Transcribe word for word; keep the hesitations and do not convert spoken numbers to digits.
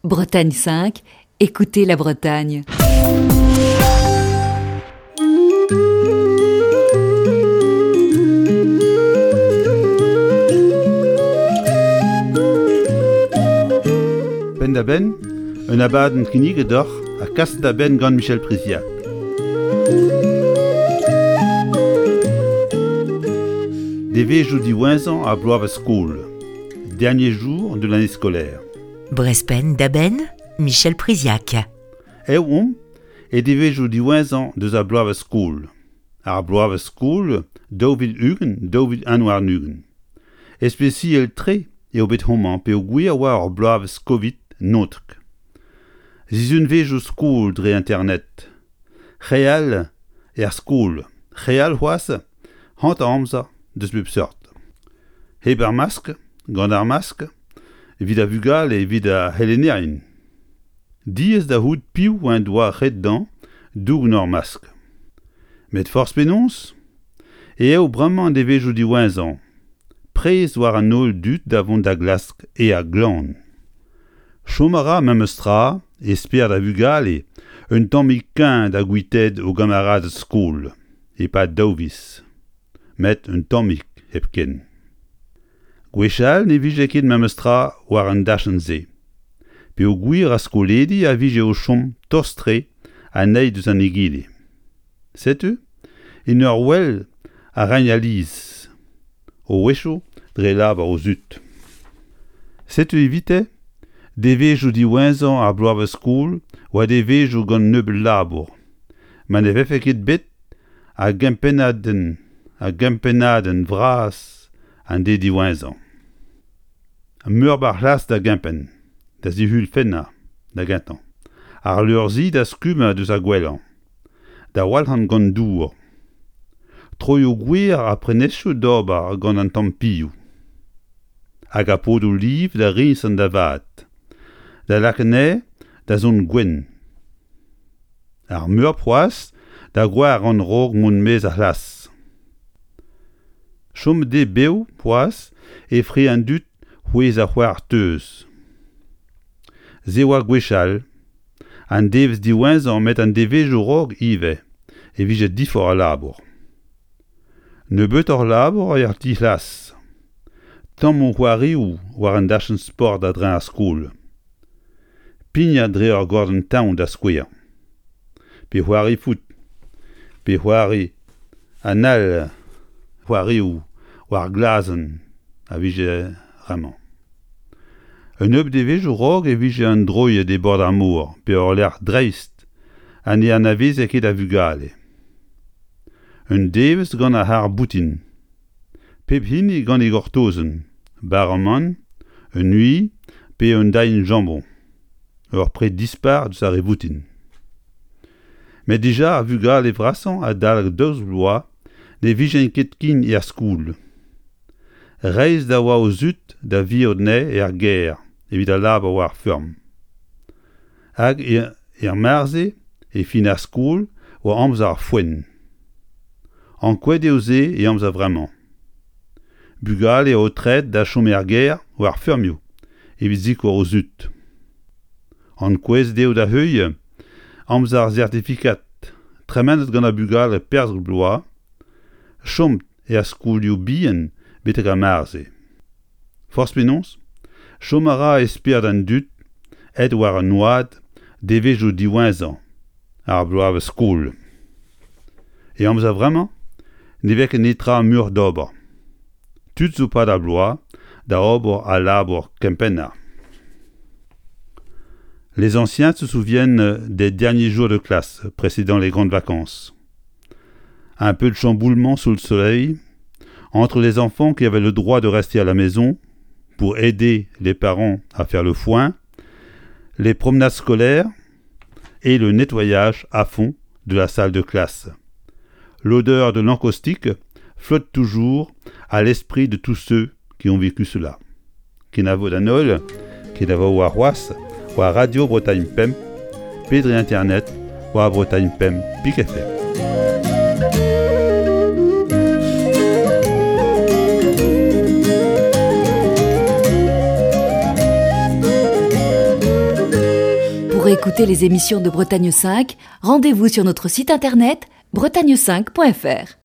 Bretagne cinq, écoutez la Bretagne. Penn da benn, un abadenn kinniget deoc'h ha kaset da benn gant Michel Priziac. Devezhioù diwezhañ ar bloavezh skol. Dernier jour de l'année scolaire. Brest Penn da Benn, Michel Priziac. Eo omp e devezhioù diwezhañ deus ar bloavezh skol. Ar bloavezh skol daou vil ugent daou vil un warn-ugent. Ispisial-tre eo bet homañ peogwir oa ur bloavezh Covid naontek. Sizhunvezhioù skol dre internet. Re all er skol, re all c'hoazh, hanter amzer deus bep seurt. Hep ar maskl, gant ar maskl, evit ar vugale evit ar c'helennerien. Diaes da c'hoût piv en doa ret dezhañ dougen ur maskl. Met forzh penaos eo bremañ an devezhioù diwezhañ, prez war an holl dud da vont da glask aer glan. Chom a ra memes tra e spered ar vugale un tammig kuñv da guitaat o gamaraded skol e-pad daou viz. Met un tammig hepken. Gwechall ne vije ket memes tra war an dachenn-se. Peogwir ar skolidi a vije o chom tost-tre an eil deus an egile. Setu, en ur wel a raint alies, o wechoù dre lavar o zud. Setu evite, devezhioù diwezhañ ar bloavezh skol oa devezhioù gant nebeut labour, ma ne vefe ket bet a gempennadenn, a gempennadenn vras an deiz diwezhañ. Meur a c'hlas da gempenn, da zihulfennañ, da gentañ. Ar leur-zi da stummañ deus ar gwellañ, da walc'hañ gant dour. Troioù gwer ha prenestroù d'ober gant an tamm-pilhoù. Hag ar podoù liv da riñsañ da vat, da lakaat anezhe da zont gwenn. Ar meurbet c'hoazh da goaran raok mont maez ar c'hlas. Chom dezhe bev c'hoazh e fri an dud c'hwezh ar c'hoar teuz. Se oa gwechall, an devezh diwezhañ met an devezhioù raok ivez e vije diforc'h al labour. Nebeutoc'h labour er ti-c'hlas. Tammoù c'hoarioù war an dachenn sport a-dreñv ar skol. Pignat dre ur gordenn-tan da skouer. Pe c'hoari foot, pe c'hoari an all c'hoarioù war glazenn a vije bremañ. Un nebeud devezhioù raok e vije un droiad e bord ar mor pe ur lec'h dreist ha ne anaveze ket a vugale. Un devezh gant ar c'harr-boutin. Pep hini gant e gortozenn, bara-amann, un ui pe un dailhenn jambon. Ur pred dispar deus ar re voutin. Met dija ar vugale vrasañ adalek daouzek vloaz ne vijent ket ken er skol. Reizh da oa o zud da virout anezhe er gêr evit al labour war ar feurm. Hag er mare-se, e fin ar skol, oa amzer ar foenn. Ankouaet eo se e amzer vremañ. Bugale aotreet da chom er gêr war feurmioù evit sikour o zud. Ankouaet eo da heuilh amzer ar sertifikad tremenet gant ar bugale perzh bloaz, chom er skolioù bihan betek ar mare-se. Forzh penaos, chom a ra e spered an dud aet war an oad devezhioù diwezhañ ar bloavezh skol. E amzer vremañ, ne vez ket netra muioc'h d'ober. Tud zo 'pad ar bloaz da ober al labour kempennañ. Les anciens se souviennent des derniers jours de classe précédant les grandes vacances. Un peu de chamboulement sous le soleil entre les enfants qui avaient le droit de rester à la maison pour aider les parents à faire le foin, les promenades scolaires et le nettoyage à fond de la salle de classe. L'odeur de l'encaustique flotte toujours à l'esprit de tous ceux qui ont vécu cela. Kenavo d'an holl, kenavo warc'hoazh, war Radio Bretagne Pemp, pe dre internet, war Bretagne Pemp pik F M. Pour écouter les émissions de Bretagne cinq, rendez-vous sur notre site internet bretagne cinq point F R.